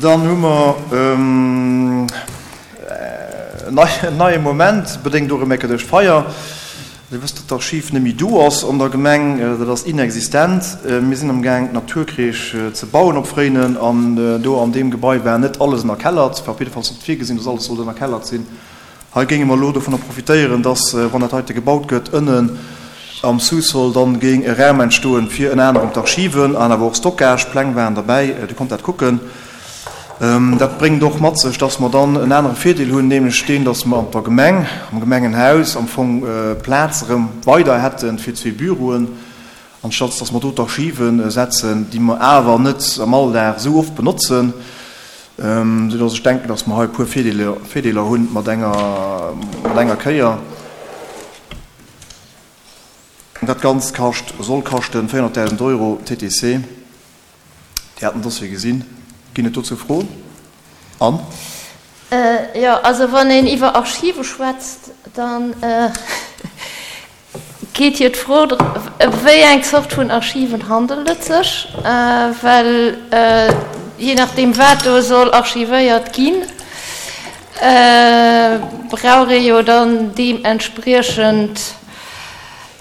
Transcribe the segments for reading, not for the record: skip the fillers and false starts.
Dann hu mer en neie Moment, bedéngt och e Mécke duerch d'Feier. Dir wësst, datt d'Archiv net méi do ass an der Gemeng, dat ass inexistent. Mir sinn amgaang d'Naturkreesch ze bauen op Fréinen an do an deem Gebai war net alles ënnerkellert, war op jiddefalls net virgesinn, datt alles sollt ënnerkellert sinn. Hei géinge mer elo dovunner profitéieren, dass, wann dat heite gebaut gëtt, ënnen am Sous-sol dann géing e Raum entstoen, fir ënner anerem d'Archiven an awer och Stockage, Pläng waren derbäi, Dir konnt dat kucken. Dat bréngt och mat sech, dass mer dann en anere Virdeel hunn, nämlech deen, dass mer an der Gemeng, am Gemengenhaus am Fong Plaz erëm weider hätte fir zwee Büroen, anstatt dass mer do d'Archive setzen, déi mer awer net am Alldag esou oft benotzen. Sou dass ech denken, dass mer hei e puer Virdeeler hunn mat enger, mat enger Kéier. Dat Ganzt kascht, soll kaschten 400.000 Euro TTC. Dir hat den Dossier gesinn. Ginn et dozou Froen? Anne? Jo, also wann een iwwer Archive schwätzt, dann Geet jo d'Fro ëm wéi eng Zort vun Archiven handelt et sech, well jee nachdeem wat do soll archivéiert ginn, brauch ee jo dann deementspriechend,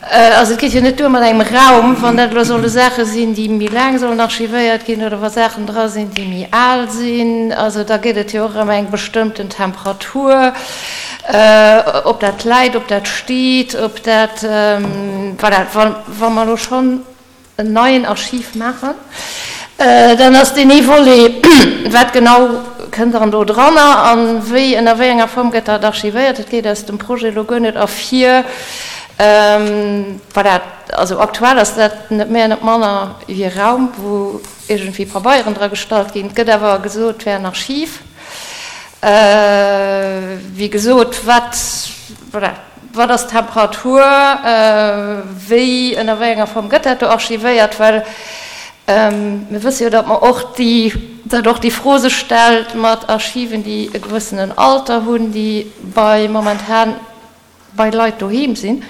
also et geet jo net duer mat engem Raum, wann dat elo solle Saache sinn, déi méi laang sollen archivéiert ginn oder wa Saachen dra sinn, déi méi al sinn, also da geet et jo och ëm eng bestëmmten Temperatur. Ob dat läit, ob dat steet, ob dat, voilà, wa mer elo schonn en neien Archiv maachen, dann ass deen ee Volet, wat genau kënnt dann do dranner a wéi, ënner wéi enger Form gëtt dat archivéiert. Dat geet aus dem Projet elo guer net ervir. Voilà, also aktuell ass dat net méi an net manner wéi e Raum, wou iergendwéi Pabeieren dra gestallt ginn. Et gëtt awer gesot, et wär en Archiv. Wéi gesot, wat, voilà, wat ass d'Temperatur, wéi, ënner wéi enger Form gëtt dat do archivéiert? Well mir wësse jo, datt mer och déi, datt och déi Fro sech stellt mat Archiven, déi e gewëssenen Alter hunn, déi bei momentan bei Leit doheem sinn,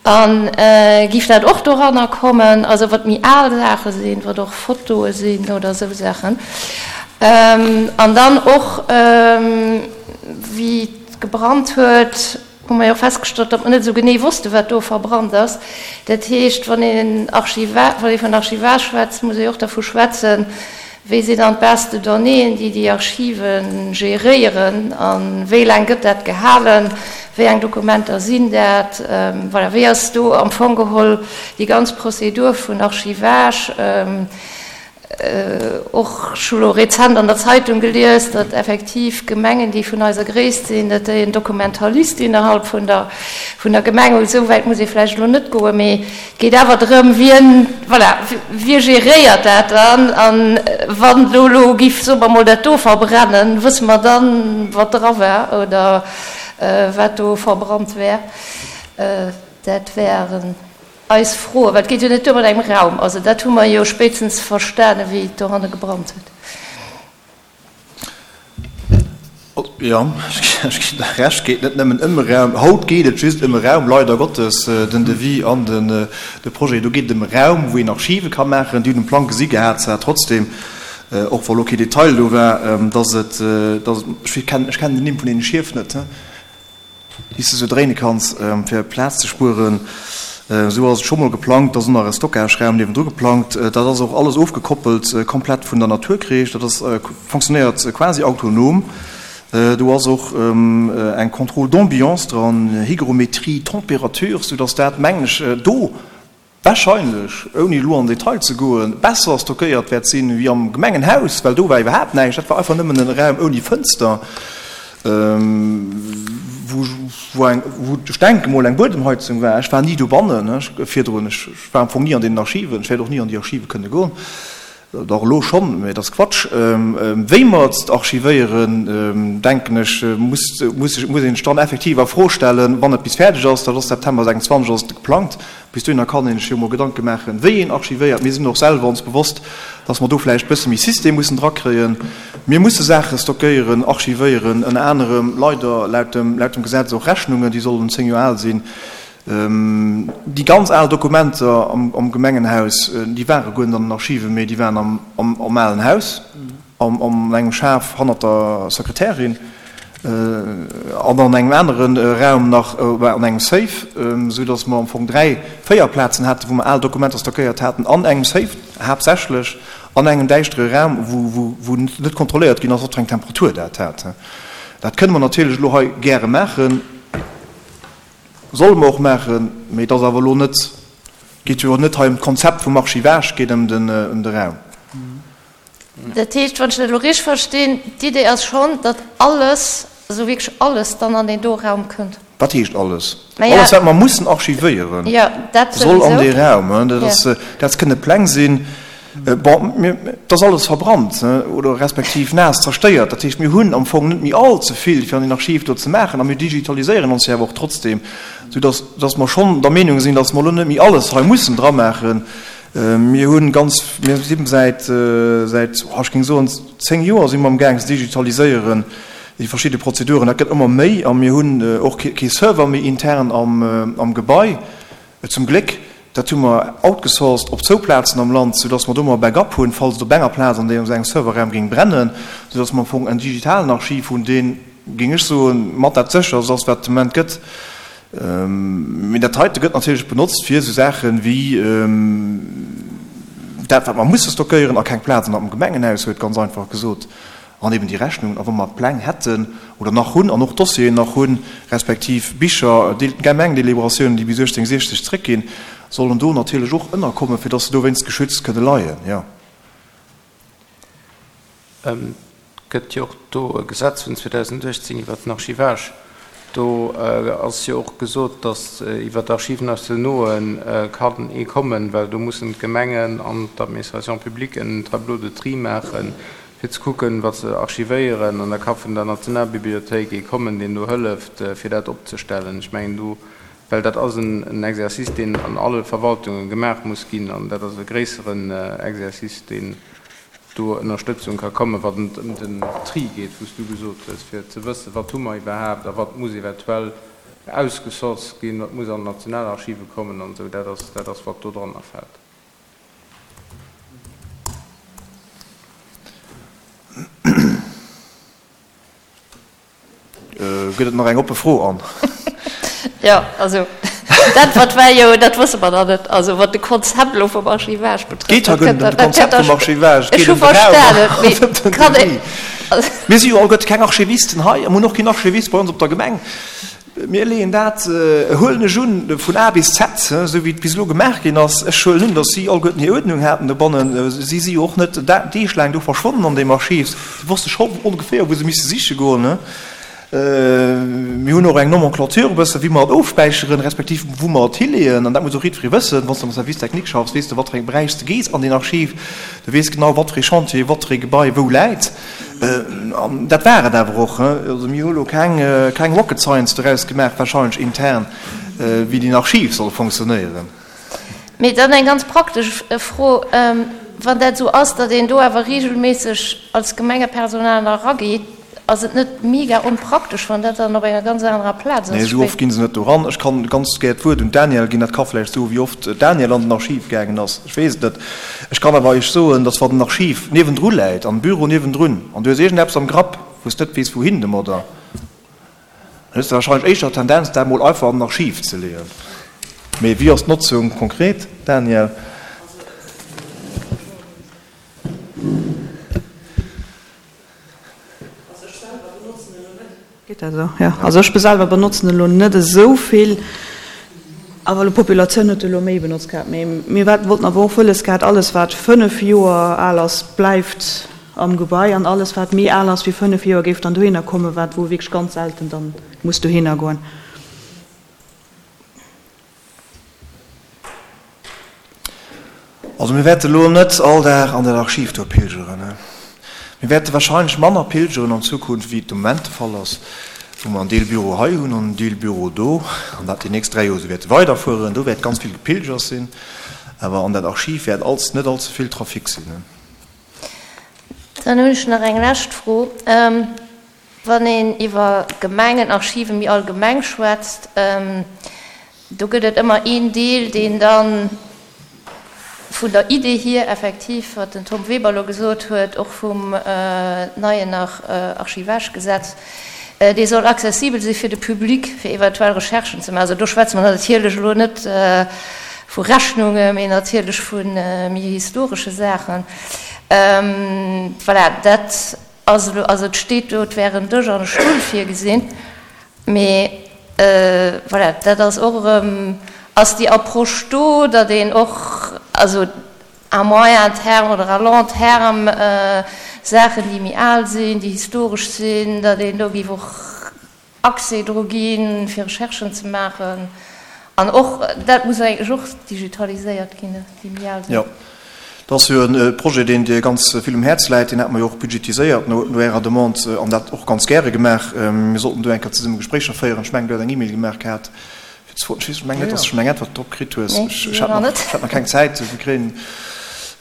a giff dat och doranner kommen, also wat méi al Saache sinn, wat och Fotoe sinn oder esou Saachen. An dann och, wéi et gebrannt huet, hu mer jo festgestallt, datt mer net esou genee wosste wat do verbrannt ass. Dat heescht, wann een Archiva, wann ee vun Archivage schwätzt, muss ee och dervu schwätzen, Wéi sinn dann d'Base de donnéeën, déi déi Archive geréieren a wéi laang gëtt dat gehalen? Wéi eng Dokumenter sinn dat? Voilà, wéi ass do am Fong geholl déi ganz Prozedur vun Archivage? Och ech hu lo rezent an der Zeitung gelies, datt effektiv Gemengen, déi vun eiser Gréisst sinn, datt déi en Dokumentalist innerhalb vun der vun der Gemeng hunn. Esou wäit muss ee vläicht elo net goen, mee Et geet awer drëm, wien, voilà, wie geréiert dat dann? A wann do elo giff, soe mer emol, dat do verbrennen, wësse mer dann, wat dra war oder wat do verbrannt wär? Dat wären eis Froen, well et geet jo net duer mat engem Raum. Also dat hu mer jo spéitstens verstanen, wéi et dohanne gebrannt huet. Jo, ech ginn der Recht, geet net nëmmen ëm e Raum. Haut geet et just ëm e Raum, leider Gottes, den Devis an de Projet. Do geet et ëm e Raum, wou een Archive ka maachen. Déi hunn um Plang gesi gehat, zwar trotzdem, och wa lo kee Detail do war, dass et, dass et, ech kennen den Nimm vun deene Schief net, déi s de sou dréine kanns, fir Plaz ze spueren. Esou ass et scho mol geplangt. Da ass och nach e Stockageraum niewendru geplangt. Dat ass och alles ofgekoppelt komplett vun der Naturkreesch. Dat ass, fonctionnéiert quasi autonom. Do ass och eng Contrôle d'ambiance dran, Hygrométrie, Température, soudass dat, mengen ech, do Wahrscheinlech, ouni elo an den Detail ze goen, besser stockéiert wäert sinn wéi am Gemengenhaus, well do war iwwerhaapt näischt. Dat war einfach nëmmen en Raum ouni Fënster, wou, wou eng, wou ech denke mol eng Buedemheizung war. Ech war ni dobannen virdrun. Ech war am Fong ni an deenen Archiven. Ech wäert och ni an déi Archive kënne goen. Dach elo schonn, mä et ass Quatsch. Wéi mer et archivéieren, denken ech, muss, muss een sech dann effektiv a Fro stellen, wann et bis fäerdeg ass. Dat ass September 26 ass et geplangt. Bis dohinner kann een sech jo mol Gedanke maachen, wéi een archivéiert. Mir sinn och selwer ons bewosst, dass mer do vläicht e bësse méi System mussen drakréien. Mir musse Saache stockéieren, archivéieren, ënner anerem leider laut dem, laut dem Gesetz och Rechnungen, déi sollen 10 Joer al sinn. Déi ganz al Dokumenter am Gemengenhaus, déi ware guer net an den Archiven, mee déi waren am alen Haus. An engem Schaf hannert der Sekretärin an an engem anere Raum nach an engem Safe, esou datt mer am Fong 3, 4 Plazen haten, wou mer al Dokumenter stockéiert haten, an engem Safe haaptsächlech, an engem däischtere Raum, wou net kontrolléiert ginn ass, wat fir eng Temperatur dat hat. Dat kënne mer natierlech elo hei gäre maachen, solle mer och maachen, mee et ass awer elo net, geet jo net hei ëm d'Konzept vum Archivage, et geet ëm de Raum. Dat heescht, wann ech dat elo richteg verstinn, d'Idee ass schonn, datt alles, also wierklech alles dann an deen do Raum kënnt. Wat heescht alles? Alles, wat mer mussen archivéieren, soll an dee Raum. Dat ass, dat kënne Pläng sinn. Bon, mir, et ass alles verbrannt oder respektiv naass zerstéiert. Dat heescht, mir hunn am Fong net méi all ze vill, fir an deen Archiv do ze maachen. A mir digitaliséieren ons jo awer och trotzdem, soudatt, datt mer schonn der Meenung sinn, datt mer elo net méi alles hei mussen dramaachen. Mir hunn ganz, mir si säit, säit, oh ech géing soen, 10 Joer si mer am Gaang ze digitaliséieren, déi verschidde Prozeduren. Dat gëtt ëmmer méi a mir hunn och kee Server méi intern am Gebai, zum Gléck. Dat hu mer outgesourced op zwou Plazen am Land, soudass mer do emmer e Backup hunn, falls et op enger Plaz an deem engem Serverraum géing brennen, soudass mer am Fong en digitalen Archiv hunn, deen, géing ech soen, mat dat sécherst ass, wat et de Moment gëtt. Mee dat heite gëtt natierlech benotzt fir esou Saache wéi dat, wat mer musse stockéieren a keng Plaz an am Gemengenhaus huet, ganz einfach gesot, an eben déi Rechnungen. A wa mer Pläng hätten oder nach hunn an och Dossieren nach hunn, respektiv Bicher, Gemengdeliberatiounen, déi bis 1860 zréckginn, sollen do natierlech och ënnerkommen, fir datt se dowéinst geschützt kënne leien, jo. Et gëtt jo och do e Gesetz vun 2018 iwwert den Archivage. Do ass jo och gesot, datt iwwer d'Archives nationaux kann ee kommen, well do mussen d'Gemengen an d'Administration publique en Tableau de tri maachen, fir ze kucken, wat se archivéieren. An da ka vun der Nationalbibliothéik ee kommen, deen do hëlleft, fir dat opzestellen. Ech mengen do, well dat ass en Exercice, deen an alle Verwaltunge gemaach muss ginn, an dat ass e gréisseren Exercice, deen do Ënnerstëtzung ka kommen, wann et ëm den Tri geet, wou s du gesot hues, fir ze wëssen, wat hu mer iwwerhaapt a wat muss eventuell ausgesourced ginn, wat muss an d'Nationalarchive kommen an esou. Dat ass, dat ass wat do dranner fält. Gëtt et nach eng oppe Fro an? Jo, also d'Äntwert war jo, dat wësse mer nach net. Also wat de Konzept elo vum Archivage betrëfft. Et geet hei guer net ëm de Konzept vum Archivage, et geet ëm de Raum an ëm den Devis. Mir si jo alleguerte keng Archivisten hei a mir hunn och keen Archivist bei ons op der Gemeng. Mir leeën dat, huelen ech un, vun A bis Z, esou wéi et bis elo gemaach ginn ass. Ech huelen un, datt si alleguerten hir Uerdnung haten dobannen. Si si jo och net deeglaang do verschwonnen an deem Archiv. Si wosste scho ongeféier, wou se misse siche goen. Mir hunn och eng Nomenclature e bësse wéi mer et ofspäicheren, respektiv wou mer et hileeën. An dat muss och jiddweree wëssen. Wann s de am Service technique schaffs, weess de, wat fir engem Beräich s de gees an deen Archiv. Du weess genau, wat fir ee Chantier, wat fir ee Gebai wou läit. An dat war et awer och. Also mir hu lo keng, keng Rocket Science doraus gemaach, wahrscheinlech intern, wéi deen Archiv soll fonctionnéieren. Mee dann eng ganz praktesch Fro, Wann dat esou ass, datt een do awer regelméisseg als Gemengepersonal nach erageet, ass et net mega onpraktesch, wann dat dann op enger ganz anerer Plaz ass? Nee, esou oft gi se net do eran. Ech kann ganz gär d'Wuert un d'Danièle ginn. Dat ka vläicht soen, wéi oft d'Danièle an den Archiv gaangen ass. Ech weess et net. Ech kann awer Iech soen, dass wann den Archiv niewendru läit, an Büro niewendrun, an du hues iergendeppes am Grapp, wou s de net weess wouhin domadder, dann hues de wahrscheinlech éischter d'Tendenz, dat emol einfach an den Archiv ze leeën. Mee wéi ass d'Notzung konkret, Danièle? Also ech selwer benotzen elo net. Geet dat esou? Jo. Also ech selwer benotzen elo net esou vill, awer elo d'Populatioun huet elo méi benotzt gehat. Mee mir wollten awer och wëlles gehat, alles wat 5 Joer al ass, bleift am Gebai an alles wat méi al ass wéi 5 Joer géif dann dohinner kommen, wat wou wierklech ganz selten dann muss dohinner goen. Also mir wäerte elo net all Dag an dat Archiv do pilgeren. Mir wäerte wahrscheinlech manner pilgeren an Zukunft, wéi et de Moment de Fall ass, wou mer en Deel Büro hei hunn an en Deel Büro do, an dat déi nächst 3 Joer esou wäerte weiderfueren. Do wäert ganz vill gepilgert sinn, awer an dat Archiv wäert als net allze vill Trafic sinn. Dann hunn ech nach eng lescht Fro. Wann een iwwer Gemengenarchive méi allgemeng schwätzt, do gëtt et ëmmer een Deel, deen da vun der Idee hier effektiv, wat den Tom Weber elo gesot huet, och vum neien Archivagegesetz, dee soll accessibel si fir de Public, fir eventuell Recherchen ze maachen. Also do schwätze mer natierlech elo net vu Rechnungen, mee natierlech vu méi historesche Saachen. Voilà, dat ass elo, also et steet do, et wär en Dësch an e Stull virgesinn, mee voilà, dat ass och erëm, ass déi Approche do, datt een och, also à moyen terme oder à long terme Saachen, déi méi al sinn, déi historesch sinn, datt een do géif och Accès dru ginn, fir Recherchen ze maachen. An och dat muss eigentlech och digitaliséiert ginn, déi méi al sinn. Jo, dat ass jo e Projet, deen dir ganz vill um Häerz läit. Deen hate mer jo och budgetiséiert no Ärer Demande an dat och ganz gäre gemaach. Mir sollten do eng Kéier zesumme Gespréicher féieren. Ech mengen, du hätt eng E-Mail gemaach gehat. Ech mengen net, dass du schonn eng Äntwert drop kritt hues. Ech hat nach keng Zäit. Mir kréien,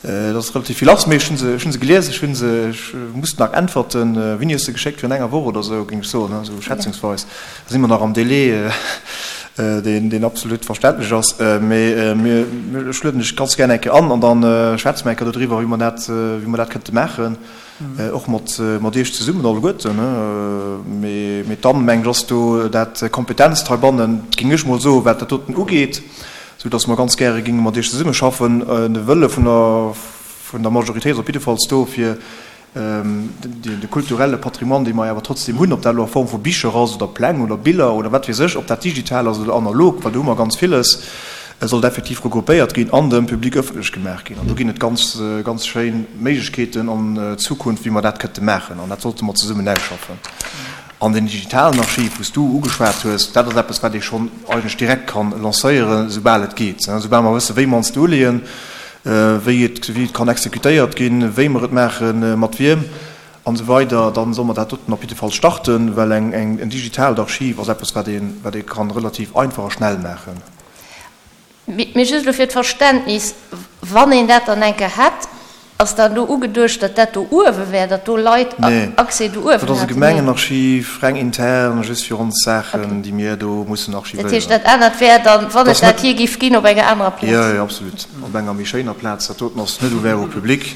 dat ass relativ vill lass, mee ech hunn se, ech hunn se gelies, ech hunn se, ech muss nach äntwerten. Wéini hues de geschéckt? Virun enger Woch oder esou, géing ech soen, esou schätzungsweis. Da si mer nach am Délai, deen, deen absolut verständlech ass. Mee mir, ech lueden dech ganz gär eng Kéier an an da schwätze mer eng Kéier dodriwwer, wéi mer dat, wéi mer dat kënnte maachen. Och mat mat Iech zesummen alleguerten. Mee mee dann, mengen ech, ass do dat Kompetenzt heibannen, géing ech mol soen, wat dat doten ugeet, esou datt mer ganz gäre géinge mat Iech zesummeschaffen. De Wëlle vun der vun der Majoritéit ass op jiddefalls do, fir de kulturelle Patrimoine, dee mer awer trotzdem hunn, ob dat elo a Form vu Bicher ass oder Pläng oder Biller oder wat weess ech, ob dat digital ass oder analog, well do hu mer ganz villes, sollt effektiv regroupéiert ginn an dem Public ëffentlech gemaach ginn. An do ginn et ganz, ganz schéin Méiglechkeeten an Zukunft, wéi mer dat kënnte maachen. An dat sollte mer zesummen ausschaffen. An deen digitalen Archiv, wou s du ugeschwat hues, dat ass eppes, wat ee schonn eigentlech direkt ka lancéieren, soubal et geet. Soubal mer wëssen, wéi mer ons do uleeën, wéi et, wéi et kann exekutéiert ginn, wéi mer et maachen, mat wiem an esou weider, dann solle mer dat doten op jidde Fall starten, well eng, eng, en digitaalt Archiv ass eppes, wat ee, wat ee kann relativ einfach a schnell maachen. Mee just elo fir d'Verständnis, Wann een dat dann eng Kéier hätt, ass dann do ugeduecht, datt dat do uewe wär, datt do Leit Accès do uewen hätten? Nee, dat ass e Gemengenarchiv, reng intern, just fir ons Saachen, déi mir do mussen archivéieren. Dat heescht, dat anert wär dann, wann et dat jee géif ginn, op enger anerer Plaz? Jo, jo, absolut, op enger méi schéiner Plaz. Dat doten ass net ouvert au public.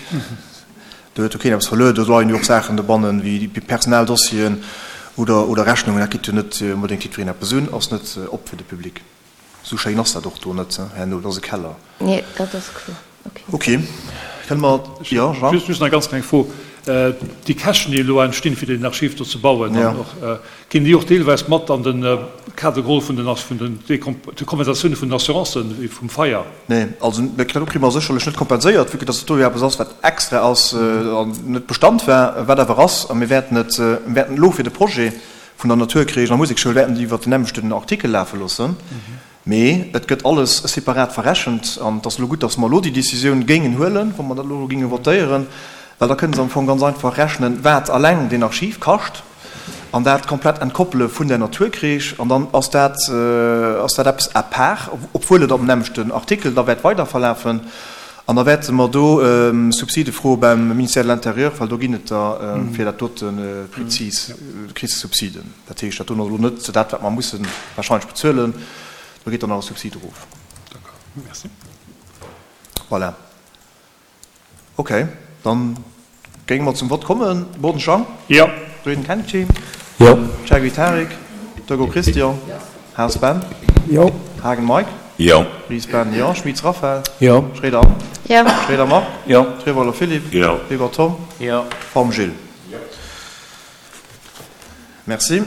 Do huet jo keen eppes verluer. Do leien jo och Saachen dobannen, wéi Personaldossieren oder, oder Rechnungen. Dat geet jo net onbedéngt jiddwereen eppes un, ass net op fir de Public. Esou schéin ass dat och do net herno, et ass e Keller. Nee, dat ass kloer. Ok. Ok, kënne mer, jo, Jean? Just nach eng ganz kleng Fro. Déi Käschten, déi elo entstinn, fir deen Archiv do ze bauen, an och, ginn déi och deelweis mat an de Kader geholl vun den, de Kompensatioune vun den Assurancen, wéi vum Feier? Nee, also dat kritt mer sécherlech net kompenséiert, vue que dass et do jo eppes ass, wat extra ass an net Bestand war, wat awer ass. A mir wäerten et, mir wäerten elo fir de Projet vun der Naturkreesch a Musekschoul wäerten déi iwwert den nämmlechten Artikel lafe loossen. Mee et gëtt alles separat verrechent. An et ass elo gutt, dass mer elo déi Décisioun géingen huelen, wa mer dat elo géinge votéieren, well da kënne se am Fong ganz einfach rechnen, wat alleng deen Archiv kascht an dat komplett entkoppele vun der Naturkreesch. An dann ass dat, ass dat eppes à part, obwuel et am nämmlechten Artikel da wäert weiderverlafen. An da wäerte mer do Subside froe beim Ministère de l'Intérieur, well do ginn et der fir dat dote prezis, kriss de Subsiden. Dat heescht, dat do ass elo net dat, wat mer musse wahrscheinlech bezuelen. Do geet dann nach e Subsid erof. D'accord, merci. Voilà. Okay, dann géinge mer zum Vott kommen. Boden Jean? Jo. Reding Kennedy? Jo. Cheguy Tarik? Doggo Christian? Haas Ben? Jo. Haagen Mike? Jo. Ries Ben, jo. Schmitz Raphaël? Jo. Schroeder Anne? Jo. Schroeder Marc? Jo. Treweiler Philippe? Jo. Weber Tom? Jo. Form Gilles? Jo. Merci.